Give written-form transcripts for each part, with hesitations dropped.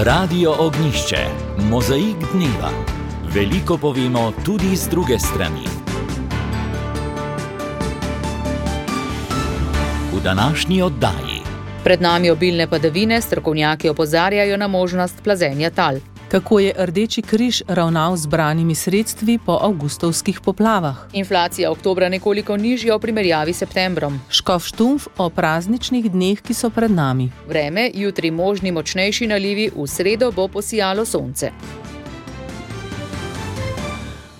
Radio Ognjišče, mozaik dneva. Veliko povemo tudi z druge strani. V današnji oddaji. Pred nami obilne padavine, strokovnjaki opozarjajo na možnost plazenja tal. Kako je Rdeči križ ravnal z zbranimi sredstvi po avgustovskih poplavah? Inflacija oktobra nekoliko nižja v primerjavi s septembrom. Škof Štumpf o prazničnih dneh, ki so pred nami. Vreme, jutri možni močnejši nalivi, v sredo bo posijalo sonce.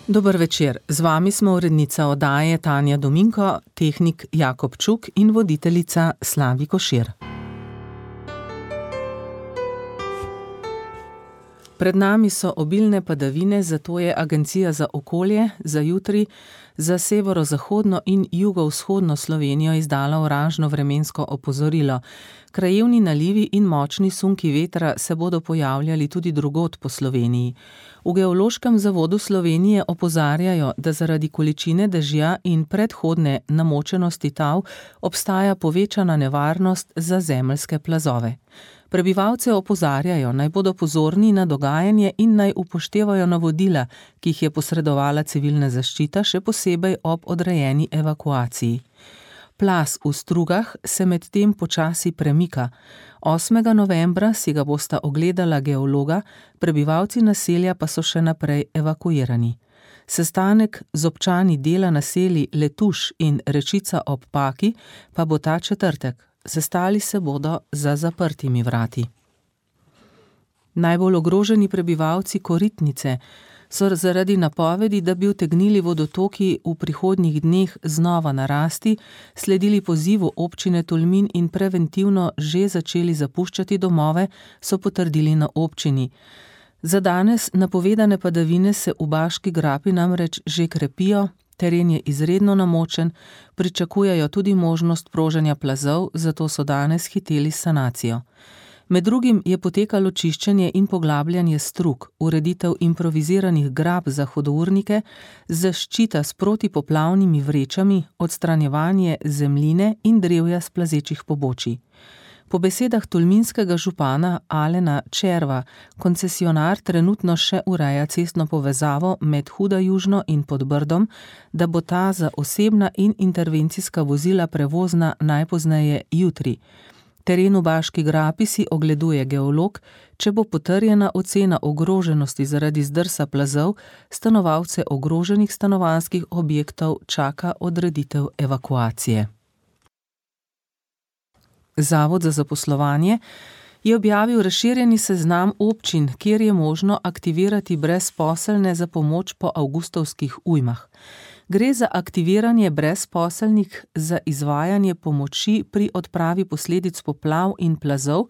Dober večer, z vami smo urednica oddaje Tanja Dominko, tehnik Jakob Čuk in voditeljica Slavi Košir. Pred nami so obilne padavine, zato je Agencija za okolje za jutri za severozahodno in jugovzhodno Slovenijo izdala oranžno vremensko opozorilo. Krajevni nalivi in močni sunki vetra se bodo pojavljali tudi drugod po Sloveniji. V Geološkem zavodu Slovenije opozarjajo, da zaradi količine dežja in predhodne namočenosti tal obstaja povečana nevarnost za zemeljske plazove. Prebivalce opozarjajo, naj bodo pozorni na dogajanje in naj upoštevajo navodila, ki jih je posredovala civilna zaščita, še posebej ob odrejeni evakuaciji. Plaz v Strugah se medtem počasi premika. 8. novembra si ga bosta ogledala geologa, prebivalci naselja pa so še naprej evakuirani. Sestanek z občani dela naselij Letuš in Rečica ob Paki pa bo ta četrtek. Sestali se bodo za zaprtimi vrati. Najbolj ogroženi prebivalci Koritnice so zaradi napovedi, da bi utegnili vodotoki v prihodnjih dneh znova narasti, sledili pozivu občine Tolmin in preventivno že začeli zapuščati domove, so potrdili na občini. Za danes napovedane padavine se v Baški grapi namreč že krepijo, teren je izredno namočen, pričakujejo tudi možnost proženja plazov, zato so danes hiteli s sanacijo. Med drugim je potekalo čiščenje in poglabljanje strug, ureditev improviziranih grab za hudournike, zaščita s protipoplavnimi vrečami, odstranjevanje zemljine in drevja s plazečih pobočij. Po besedah tolminskega župana Alena Červa, koncesionar trenutno še ureja cestno povezavo med Huda Južno in Podbrdom, da bo ta za osebna in intervencijska vozila prevozna najpozneje jutri. Teren v Baški grapi si ogleduje geolog, če bo potrjena ocena ogroženosti zaradi zdrsa plazov, stanovalce ogroženih stanovanjskih objektov čaka odreditev evakuacije. Zavod za zaposlovanje je objavil razširjeni seznam občin, kjer je možno aktivirati brezposelne za pomoč po avgustovskih ujmah. Gre za aktiviranje brezposelnih za izvajanje pomoči pri odpravi posledic poplav in plazov,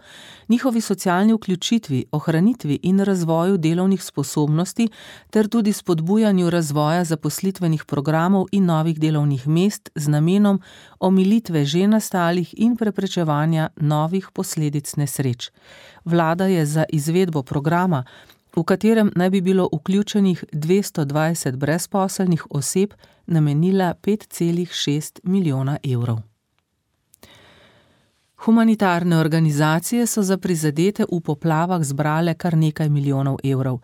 njihovi socialni vključitvi, ohranitvi in razvoju delovnih sposobnosti ter tudi spodbujanju razvoja zaposlitvenih programov in novih delovnih mest z namenom omilitve že nastalih in preprečevanja novih posledic nesreč. Vlada je za izvedbo programa, v katerem naj bi bilo vključenih 220 brezposelnih oseb, namenila 5,6 milijona evrov. Humanitarne organizacije so za prizadete v poplavah zbrale kar nekaj milijonov evrov.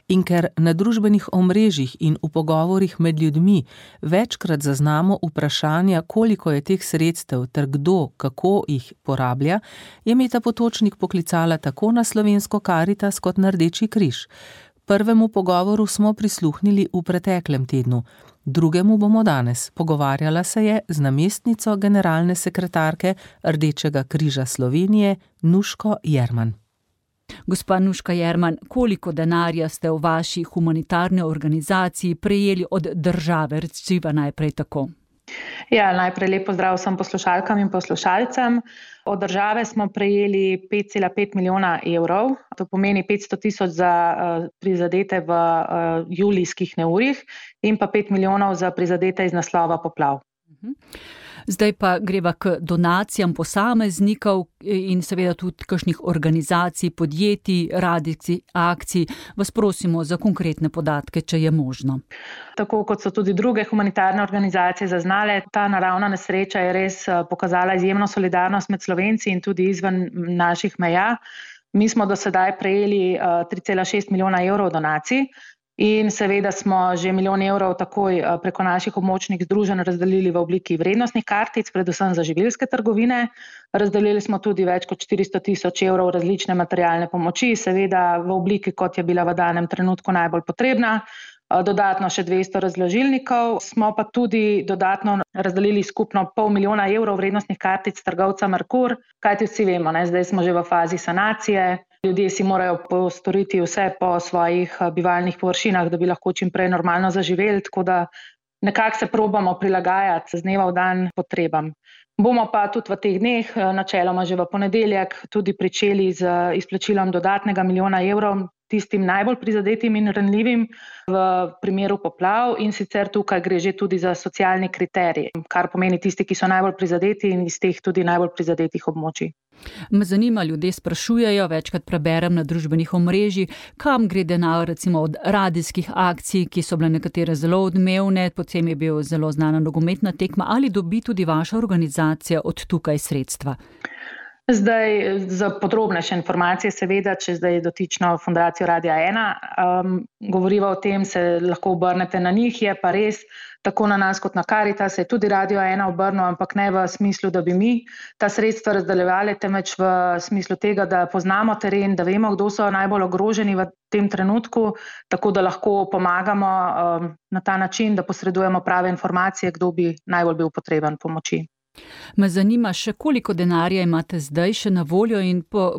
In ker na družbenih omrežjih in v pogovorih med ljudmi večkrat zaznamo vprašanja, koliko je teh sredstev ter kdo, kako jih porablja, je Meta Potočnik poklicala tako na Slovensko Karitas kot na Rdeči križ. Prvemu pogovoru smo prisluhnili v preteklem tednu. Drugemu bomo danes. Pogovarjala se je z namestnico generalne sekretarke Rdečega križa Slovenije, Nuško Jerman. Gospa Nuška Jerman, koliko denarja ste v vaši humanitarni organizaciji prejeli od države? Reciva najprej tako. Ja, najprej lep pozdrav vsem poslušalkam in poslušalcem. Od države smo prejeli 5,5 milijona evrov, to pomeni 500 tisoč za prizadete v julijskih neurjih in pa 5 milijonov za prizadete iz naslova poplav. Zdaj pa greva k donacijam posameznikov in seveda tudi kakšnih organizacij, podjetij, radijskih akcij. Vas prosimo za konkretne podatke, če je možno. Tako kot so tudi druge humanitarne organizacije zaznale, ta naravna nesreča je res pokazala izjemno solidarnost med Slovenci in tudi izven naših meja. Mi smo do sedaj prejeli 3,6 milijona evrov donacij in seveda smo že 1 milijon evrov takoj preko naših območnih združenj razdelili v obliki vrednostnih kartic, predvsem za živilske trgovine. Razdelili smo tudi več kot 400 tisoč evrov različne materialne pomoči, seveda v obliki, kot je bila v danem trenutku najbolj potrebna. Dodatno še 200 razložilnikov, smo pa tudi dodatno razdelili skupno 500 000 evrov vrednostnih kartic trgovca Merkur, kajti vsi vemo, zdaj smo že v fazi sanacije, ljudje si morajo postoriti vse po svojih bivalnih površinah, da bi lahko čim prej normalno zaživeli, tako da nekako se probamo prilagajati z dneva v dan potrebam. Bomo pa tudi v teh dneh, načeloma že v ponedeljek, tudi pričeli z izplačilom dodatnega 1 milijona evrov tistim najbolj prizadetim in ranljivim v primeru poplav in sicer tukaj gre že tudi za socialni kriterij, kar pomeni tisti, ki so najbolj prizadeti in iz teh tudi najbolj prizadetih območij. Me zanima, ljudje sprašujejo, večkrat preberem na družbenih omrežjih, kam gre denar recimo od radijskih akcij, ki so bile nekatere zelo odmevne, potem je bil zelo znana nogometna tekma, ali dobi tudi vaša organizacija od tukaj sredstva? Zdaj, za podrobnejše informacije, seveda, če zdaj dotično Fundacijo Radia 1 govoriva o tem, se lahko obrnete na njih, je pa res, tako na nas kot na Karitas se je tudi Radio 1 obrnil, ampak ne v smislu, da bi mi ta sredstva razdeljevali, temveč v smislu tega, da poznamo teren, da vemo, kdo so najbolj ogroženi v tem trenutku, tako da lahko pomagamo na ta način, da posredujemo prave informacije, kdo bi najbolj bil potreben pomoči. Me zanima še, koliko denarja imate zdaj še na voljo in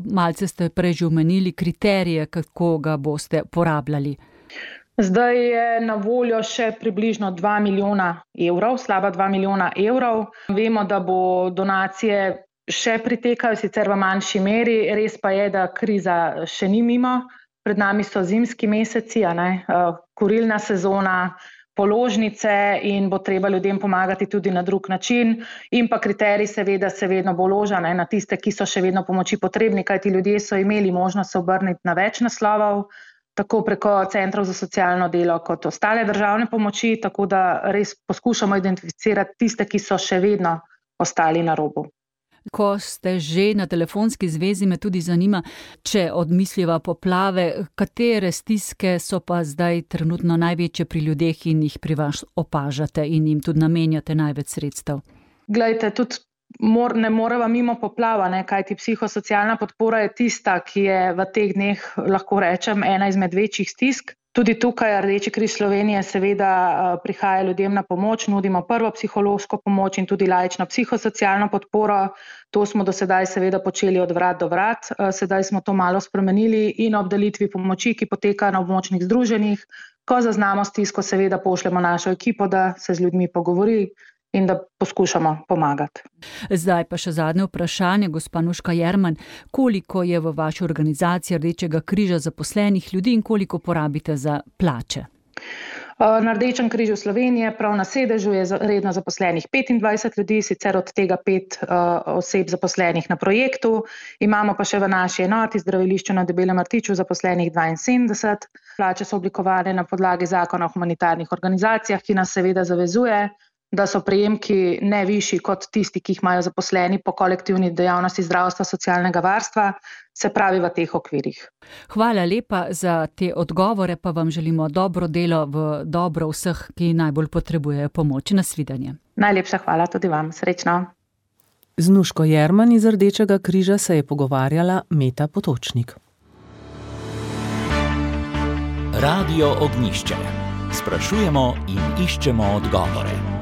malce ste prej že omenili kriterije, kako ga boste porabljali. Zdaj je na voljo še približno 2 milijona evrov, slaba 2 milijona evrov. Vemo, da bo donacije še pritekajo, sicer v manjši meri, res pa je, da kriza še ni mimo. Pred nami so zimski meseci, kurilna sezona, položnice in bo treba ljudem pomagati tudi na drug način in pa kriterij seveda se vedno bo loža na tiste, ki so še vedno pomoči potrebni, kajti ljudje so imeli možnost se obrniti na več naslovov, tako preko centrov za socialno delo kot ostale državne pomoči, tako da res poskušamo identificirati tiste, ki so še vedno ostali na robu. Ko ste že na telefonski zvezi, me tudi zanima, če odmisliva poplave, katere stiske so pa zdaj trenutno največje pri ljudeh in jih pri vas opažate in jim tudi namenjate največ sredstev? Glejte, tudi ne moreva mimo poplava, kajti psihosocialna podpora je tista, ki je v teh dneh, lahko rečem, ena izmed večjih stisk. Tudi tukaj Rdeči križ Slovenije seveda prihaja ljudem na pomoč, nudimo prvo psihološko pomoč in tudi laično psihosocialno podporo. To smo do sedaj seveda počeli od vrat do vrat, sedaj smo to malo spremenili in ob delitvi pomoči, ki poteka na območnih združenjih, ko zaznamo stisko, seveda pošljemo našo ekipo, da se z ljudmi pogovori in da poskušamo pomagati. Zdaj pa še zadnje vprašanje, gospa Nuška Jerman, koliko je v vaši organizaciji Rdečega križa zaposlenih ljudi in koliko porabite za plače? Na Rdečem križu Slovenije, prav na sedežu, je redno zaposlenih 25 ljudi, sicer od tega 5 oseb zaposlenih na projektu. Imamo pa še v naši enoti zdravilišču na Debelem Rtiču zaposlenih 72. Plače so oblikovane na podlagi zakona o humanitarnih organizacijah, ki nas seveda zavezuje, da so prejemki ne višji kot tisti, ki jih imajo zaposleni po kolektivni dejavnosti zdravstva, socialnega varstva, se pravi v teh okvirih. Hvala lepa za te odgovore, pa vam želimo dobro delo v dobro vseh, ki najbolj potrebujejo pomoč. Nasvidenje. Najlepša hvala tudi vam. Srečno. Z Nuško Jerman iz Rdečega križa se je pogovarjala Meta Potočnik. Radio Ognjišče. Sprašujemo in iščemo odgovore.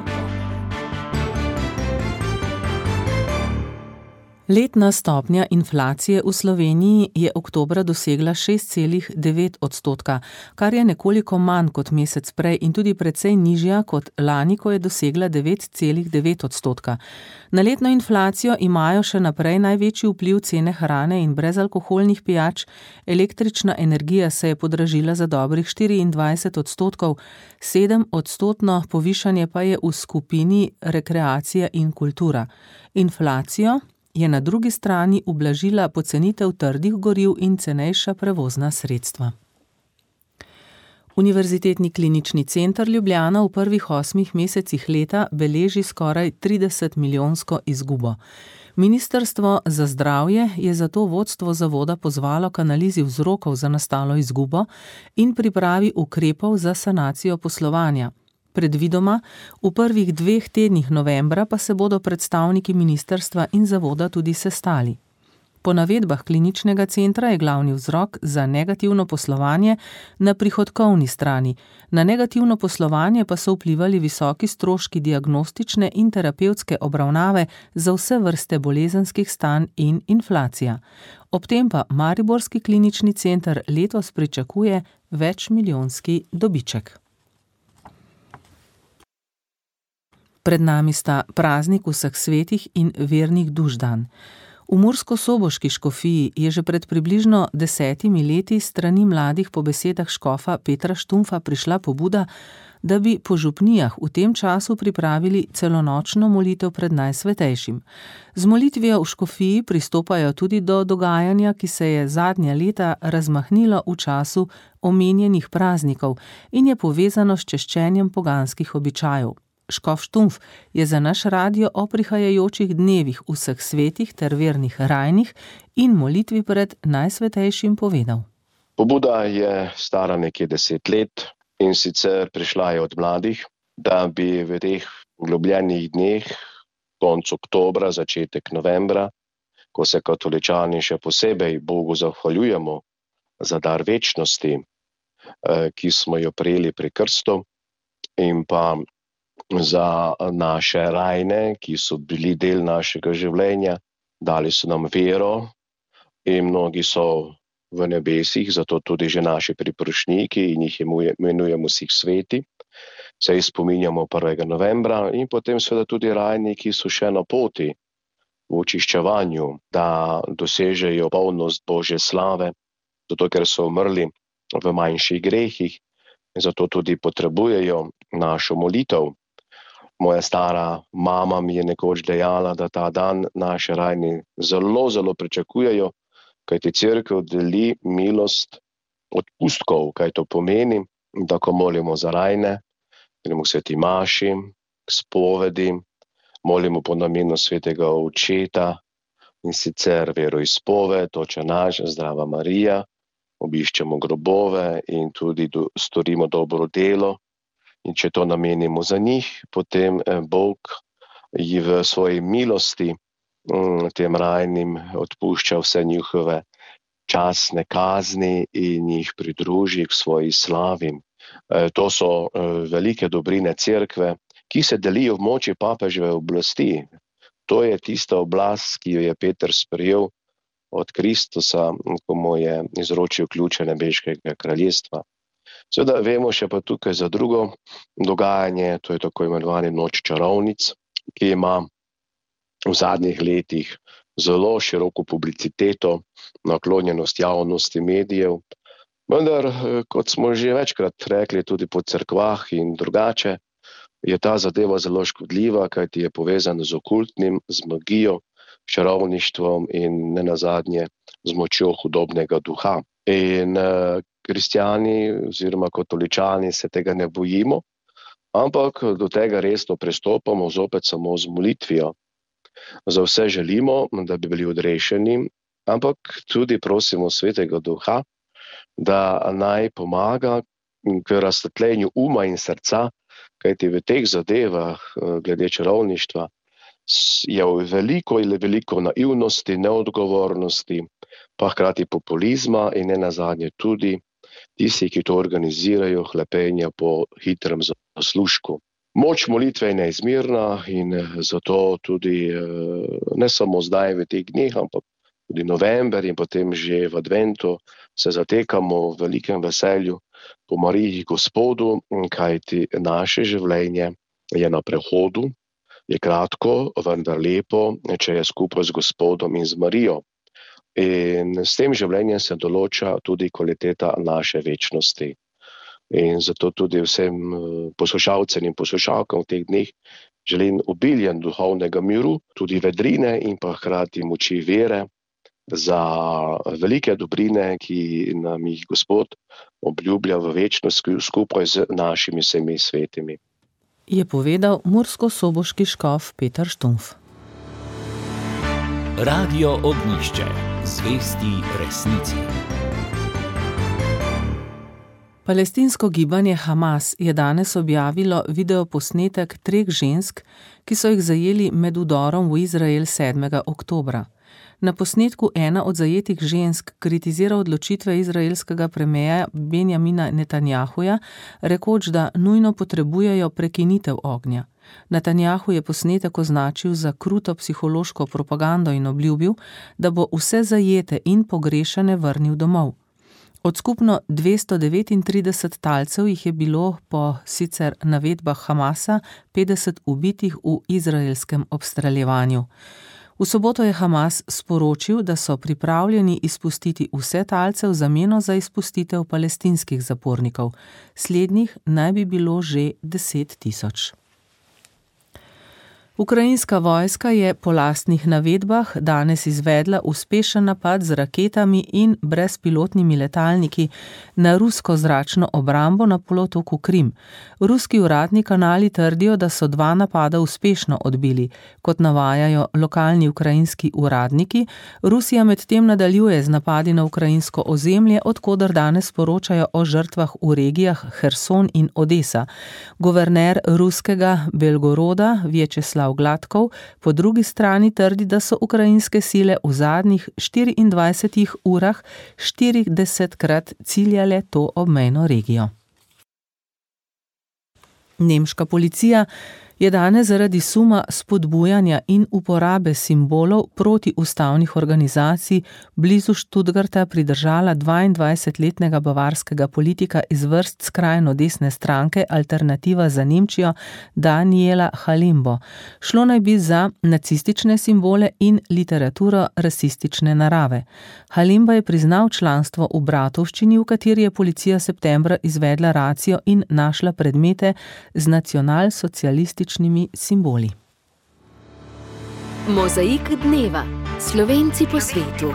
Letna stopnja inflacije v Sloveniji je oktobra dosegla 6,9%, kar je nekoliko manj kot mesec prej in tudi precej nižja kot lani, ko je dosegla 9,9%. Na letno inflacijo imajo še naprej največji vpliv cene hrane in brezalkoholnih pijač. Električna energija se je podražila za dobrih 24%, 7% povišanje pa je v skupini rekreacija in kultura. Inflacijo je na drugi strani ublažila pocenitev trdih goriv in cenejša prevozna sredstva. Univerzitetni klinični center Ljubljana v prvih 8 mesecih leta beleži skoraj 30 milijonsko izgubo. Ministrstvo za zdravje je zato vodstvo zavoda pozvalo k analizi vzrokov za nastalo izgubo in pripravi ukrepov za sanacijo poslovanja. Predvidoma, v prvih 2 tednih novembra pa se bodo predstavniki ministrstva in zavoda tudi sestali. Po navedbah kliničnega centra je glavni vzrok za negativno poslovanje na prihodkovni strani. Na negativno poslovanje pa so vplivali visoki stroški diagnostične in terapevtske obravnave za vse vrste bolezenskih stanj in inflacija. Ob tem pa mariborski klinični center letos pričakuje večmilijonski dobiček. Pred nami sta praznik vseh svetih in vernih duš dan. V murskosoboški škofiji je že pred približno 10 leti strani mladih po besedah škofa Petra Štumpfa prišla pobuda, da bi po župnijah v tem času pripravili celonočno molitev pred Najsvetejšim. Z molitvijo v škofiji pristopajo tudi do dogajanja, ki se je zadnja leta razmahnilo v času omenjenih praznikov in je povezano s češčenjem poganskih običajev. Škof Štumpf je za naš radio o prihajajočih dnevih vseh svetih ter vernih rajnih in molitvi pred Najsvetejšim povedal. Pobuda je stara nekje 10 let in sicer prišla je od mladih, da bi v teh globljenih dneh, konec oktobra, začetek novembra, ko se katoličani še posebej Bogu zahvaljujemo za dar večnosti, ki smo jo prejeli pri krstu, in pa za naše rajne, ki so bili del našega življenja, dali so nam vero in mnogi so v nebesih, zato tudi že naši priprošniki in jih imenujemo vseh sveti. Se jih spominjamo 1. novembra in potem seveda tudi rajni, ki so še na poti v očiščevanju, da dosežejo polnost Božje slave, zato ker so umrli v manjših grehih in zato tudi potrebujejo našo molitev. Moja stara mama mi je nekoč dejala, da ta dan naši rajni zelo, zelo pričakujejo, kajti cerkev deli milost odpustkov, kaj to pomeni, da ko molimo za rajne, gremo k sveti maši, k spovedi, molimo po namenu svetega očeta in sicer veroizpoved, Oče naš, Zdrava Marija, obiščemo grobove in tudi storimo dobro delo. In če to namenimo za njih, potem Bog ji v svoji milosti tem rajnim odpušča vse njihove časne kazni in jih pridruži k svoji slavi. To so velike dobrine cerkve, ki se delijo v moči papeževe oblasti. To je tista oblast, ki jo je Peter sprejel od Kristusa, ko mu je izročil ključe nebeškega kraljestva. Seveda vemo še pa tukaj za drugo dogajanje, to je tako imenovani Noč čarovnic, ki ima v zadnjih letih zelo široko publiciteto, naklonjenost javnosti, medijev. Vendar, kot smo že večkrat rekli tudi po cerkvah in drugače, je ta zadeva zelo škodljiva, kajti je povezana z okultnim, z magijo, čarovništvom in nenazadnje z močjo hudobnega duha. In kristjani oziroma katoličani se tega ne bojimo, ampak do tega resno pristopamo zopet samo z molitvijo. Za vse želimo, da bi bili odrešeni, ampak tudi prosimo svetega duha, da naj pomaga k razsvetljenju uma in srca, kajti v teh zadevah glede čarovništva je veliko naivnosti, neodgovornosti, pa hkrati populizma in nenazadnje tudi tisti, ki to organizirajo, hlepenja po hitrem zaslužku. Moč molitve je neizmerna in zato tudi ne samo zdaj v teh dneh, ampak tudi november in potem že v adventu se zatekamo v velikem veselju po Mariji Gospodu, kajti naše življenje je na prehodu, je kratko, vendar lepo, če je skupaj z Gospodom in z Marijo. In s tem življenjem se določa tudi kvaliteta naše večnosti. In zato tudi vsem poslušalcem in poslušalkam v teh dneh želim obiljen duhovnega miru, tudi vedrine in pa hkrati moči vere za velike dobrine, ki nam jih Gospod obljublja v večnost skupaj z našimi vsemi svetimi. Je povedal murskosoboški škof Peter Štumpf. Radio Ognjišče. Zvesti resnici. Palestinsko gibanje Hamas je danes objavilo videoposnetek 3 žensk, ki so jih zajeli med vdorom v Izrael 7. oktobra. Na posnetku ena od zajetih žensk kritizira odločitve izraelskega premierja Benjamina Netanjahuja, rekoč, da nujno potrebujejo prekinitev ognja. Netanjahu je posnetek označil za kruto psihološko propagando in obljubil, da bo vse zajete in pogrešane vrnil domov. Od skupno 239 talcev jih je bilo po sicer navedbah Hamasa 50 ubitih v izraelskem obstreljevanju. V soboto je Hamas sporočil, da so pripravljeni izpustiti vse talce v zameno za izpustitev palestinskih zapornikov. Slednjih naj bi bilo že 10 tisoč. Ukrajinska vojska je po lastnih navedbah danes izvedla uspešen napad z raketami in brezpilotnimi letalniki na rusko zračno obrambo na polotoku Krim. Ruski uradni kanali trdijo, da so 2 napada uspešno odbili. Kot navajajo lokalni ukrajinski uradniki, Rusija medtem nadaljuje z napadi na ukrajinsko ozemlje, od koder danes poročajo o žrtvah v regijah Herson in Odesa. Guverner ruskega Belgoroda Vjačeslav Gladkov po drugi strani trdi, da so ukrajinske sile v zadnjih 24 urah 40krat ciljale to obmejno regijo. Nemška policija je danes zaradi suma spodbujanja in uporabe simbolov protiustavnih organizacij blizu Stuttgarta pridržala 22-letnega bavarskega politika iz vrst skrajno desne stranke Alternativa za Nemčijo Daniela Halimbo. Šlo naj bi za nacistične simbole in literaturo rasistične narave. Halimbo je priznal članstvo v bratovščini, v kateri je policija septembra izvedla racijo in našla predmete z nacionalsocialističnimi simboli. Mozaik dneva. Slovenci po svetu.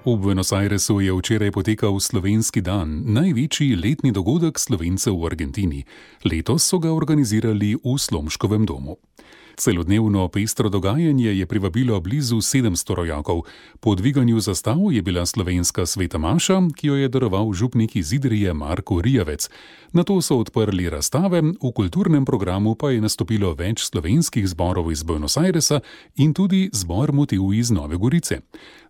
V Buenos Airesu je včeraj potekal Slovenski dan, največji letni dogodek Slovencev v Argentini. Letos so ga organizirali v Slomškovem domu. Celodnevno pestro dogajanje je privabilo blizu 700 rojakov. Po dviganju zastav je bila slovenska sveta maša, ki jo je daroval župnik iz Idrije Marko Rijavec. Nato so odprli razstave, v kulturnem programu pa je nastopilo več slovenskih zborov iz Buenos Airesa in tudi zbor Motiv iz Nove Gorice.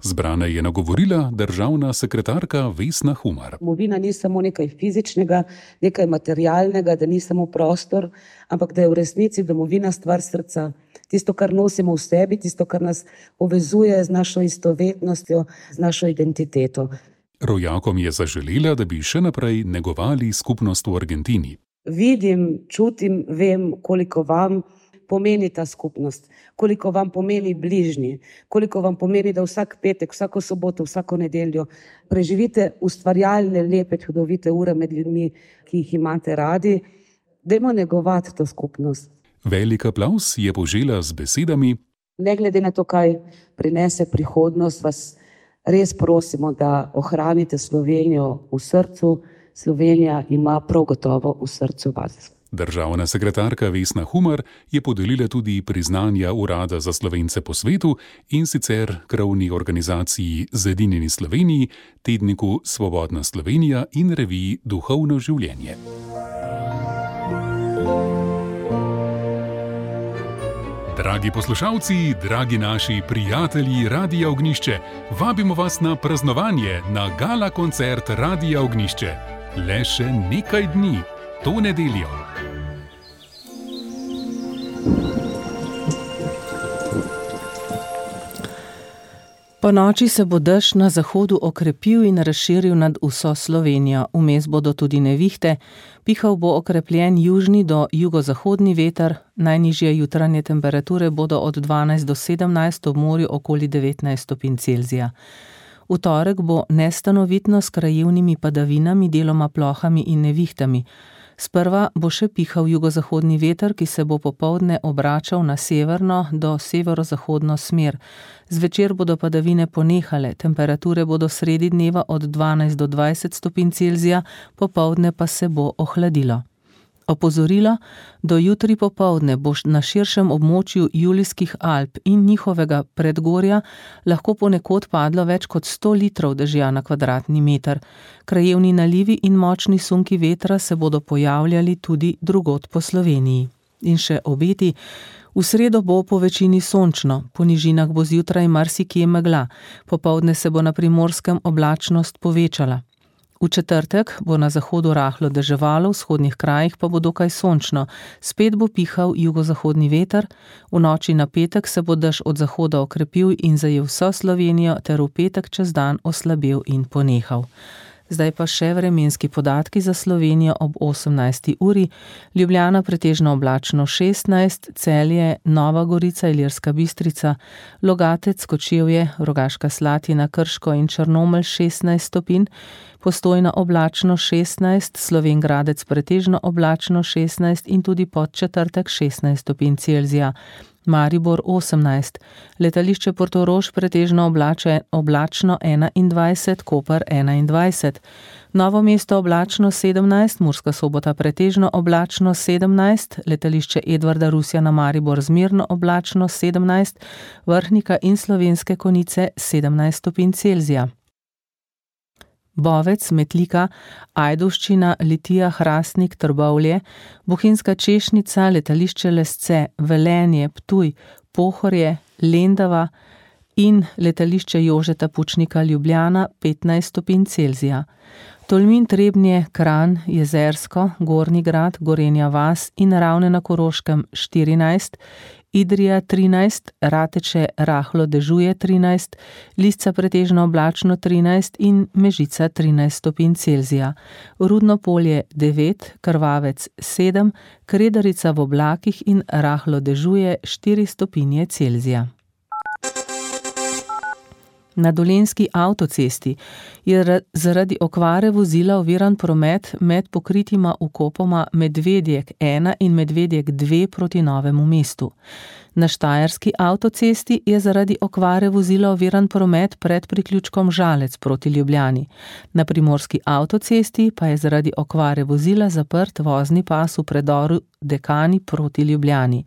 Zbrane je nagovorila državna sekretarka Vesna Humar. Domovina ni samo nekaj fizičnega, nekaj materialnega, da ni samo prostor, ampak da je v resnici domovina stvar srca. Tisto, kar nosimo v sebi, tisto, kar nas povezuje z našo istovetnostjo, z našo identiteto. Rojakom je zaželela, da bi še naprej negovali skupnost v Argentini. Vidim, čutim, vem, koliko vam pomeni ta skupnost, koliko vam pomeni bližnji, koliko vam pomeni, da vsak petek, vsako soboto, vsako nedeljo preživite ustvarjalne, lepe, čudovite ure med ljudmi, ki jih imate radi. Dajmo negovati to skupnost. Velik aplavz je požela z besedami: Ne glede na to, kaj prinese prihodnost, vas res prosimo, da ohranite Slovenijo v srcu. Slovenija ima prav gotovo v srcu vas. Državna sekretarka Vesna Humar je podelila tudi priznanja Urada za Slovence po svetu, in sicer krovni organizaciji Zedinjeni Sloveniji, tedniku Svobodna Slovenija in reviji Duhovno življenje. Dragi poslušalci, dragi naši prijatelji Radia Ognjišče, vabimo vas na praznovanje na gala koncert Radia Ognjišče. Le še nekaj dni, to nedeljo. Po noči se bo dež na zahodu okrepil in razširil nad vso Slovenijo. Vmes bodo tudi nevihte, pihal bo okrepljen južni do jugozahodni veter, najnižje jutranje temperature bodo od 12 do 17, ob morju okoli 19 stopinj Celzija. V torek bo nestanovitno s krajevnimi padavinami, deloma plohami in nevihtami. Sprva bo še pihal jugozahodni veter, ki se bo popoldne obračal na severno do severozahodno smer. Zvečer bodo padavine ponehale, temperature bodo sredi dneva od 12 do 20 stopinj Celzija, popoldne pa se bo ohladilo. Opozorilo, do jutri popoldne bo na širšem območju Julijskih Alp in njihovega predgorja lahko ponekod padlo več kot 100 litrov dežja na kvadratni meter. Krajevni nalivi in močni sunki vetra se bodo pojavljali tudi drugod po Sloveniji. In še obeti. V sredo bo po večini sončno, po nižinah bo zjutraj marsikje megla, popoldne se bo na Primorskem oblačnost povečala. V četrtek bo na zahodu rahlo deževalo, v vzhodnih krajih pa bo dokaj sončno, spet bo pihal jugozahodni veter, v noči na petek se bo dež od zahoda okrepil in zajel vso Slovenijo ter v petek čez dan oslabel in ponehal. Zdaj pa še vremenski podatki za Slovenijo ob 18. uri. Ljubljana pretežno oblačno 16, Celje, Nova Gorica, Ilirska Bistrica, Logatec, Kočevje, Rogaška Slatina, Krško in Črnomelj 16 stopinj, Postojna oblačno 16, Slovenj Gradec pretežno oblačno 16 in tudi Podčetrtek 16 stopinj Celzija. Maribor 18, letališče Portorož pretežno oblačno 21, Koper 21, Novo mesto oblačno 17, Murska Sobota pretežno oblačno 17, letališče Edvarda Rusjana Maribor zmerno oblačno 17, Vrhnika in Slovenske Konjice 17 stopinj Celzija. Bovec, Metlika, Ajdovščina, Litija, Hrastnik, Trbovlje, Bohinjska Češnica, letališče Lesce, Velenje, Ptuj, Pohorje, Lendava in letališče Jožeta Pučnika Ljubljana 15 stopinj Celzija. Tolmin, Trebnje, Kranj, Jezersko, Gornji Grad, Gorenja vas in Ravne na Koroškem 14, Idrija 13, Rateče rahlo dežuje 13, Lisca pretežno oblačno 13 in Mežica 13 stopinj Celzija. Rudno Polje 9, Krvavec 7, Kredarica v oblakih in rahlo dežuje 4 stopinje Celzija. Na Dolenjski avtocesti je zaradi okvare vozila oviran promet med pokritima vkopoma Medvedjek 1 in Medvedjek 2 proti Novemu mestu. Na Štajerski avtocesti je zaradi okvare vozila oviran promet pred priključkom Žalec proti Ljubljani. Na Primorski avtocesti pa je zaradi okvare vozila zaprt vozni pas v predoru Dekani proti Ljubljani.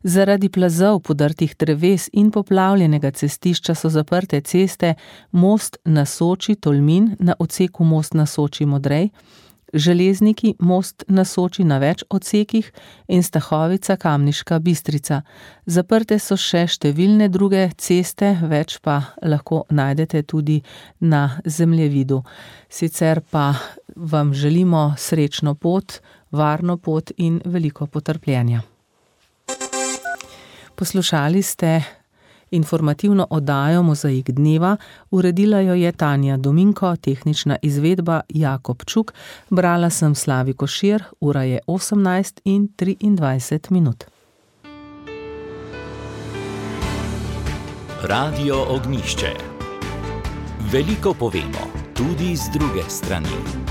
Zaradi plazov, podrtih dreves in poplavljenega cestišča so zaprte ceste Most na Soči Tolmin na odseku Most na Soči Modrej, Železniki Most na Soči na več odsekih in Stahovica Kamniška Bistrica. Zaprte so še številne druge ceste, več pa lahko najdete tudi na zemljevidu. Sicer pa vam želimo srečno pot, varno pot in veliko potrpljenja. Poslušali ste informativno oddajo Mozaik dneva, uredila jo je Tanja Dominko, tehnična izvedba Jakob Čuk, brala sem Slavi Košir, ura je 18:23 minut. Radio Ognjišče. Veliko povemo, tudi z druge strani.